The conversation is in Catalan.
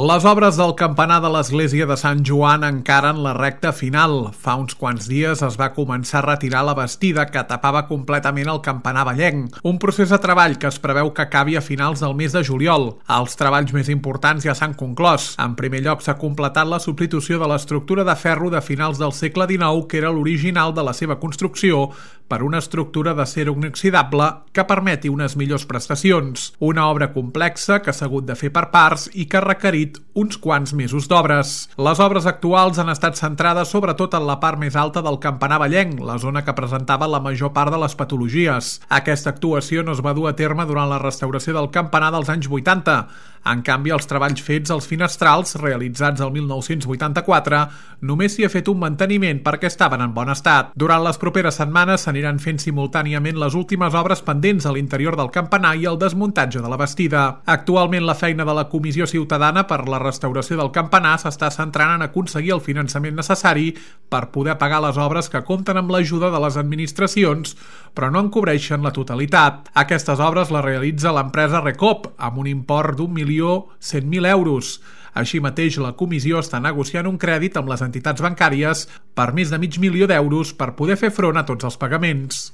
Les obres del campanar de l'església de Sant Joan encara en la recta final. Fa uns quants dies es va començar a retirar la bastida que tapava completament el campanar vallenc, un procés de treball que es preveu que acabi a finals del mes de juliol. Els treballs més importants ja s'han conclòs. En primer lloc s'ha completat la substitució de l'estructura de ferro de finals del segle XIX, que era l'original de la seva construcció, per una estructura d'acer inoxidable que permeti unes millors prestacions. Una obra complexa que s'ha hagut de fer per parts i que ha requerit uns quants mesos d'obres. Les obres actuals han estat centrades sobretot en la part més alta del campanar vallenc, la zona que presentava la major part de les patologies. Aquesta actuació no es va dur a terme durant la restauració del campanar dels anys 80. En canvi, els treballs fets als finestrals, realitzats el 1984, només s'hi ha fet un manteniment perquè estaven en bon estat. Durant les properes setmanes s'aniran fent simultàniament les últimes obres pendents a l'interior del campanar i el desmuntatge de la bastida. Actualment, la feina de la Comissió Ciutadana per la restauració del campanar s'està centrant en aconseguir el finançament necessari per poder pagar les obres que compten amb l'ajuda de les administracions, però no en cobreixen la totalitat. Aquestes obres les realitza l'empresa Recoop, amb un import d'1.100.000 euros. Així mateix, la comissió està negociant un crèdit amb les entitats bancàries per més de $500.000 per poder fer front a tots els pagaments.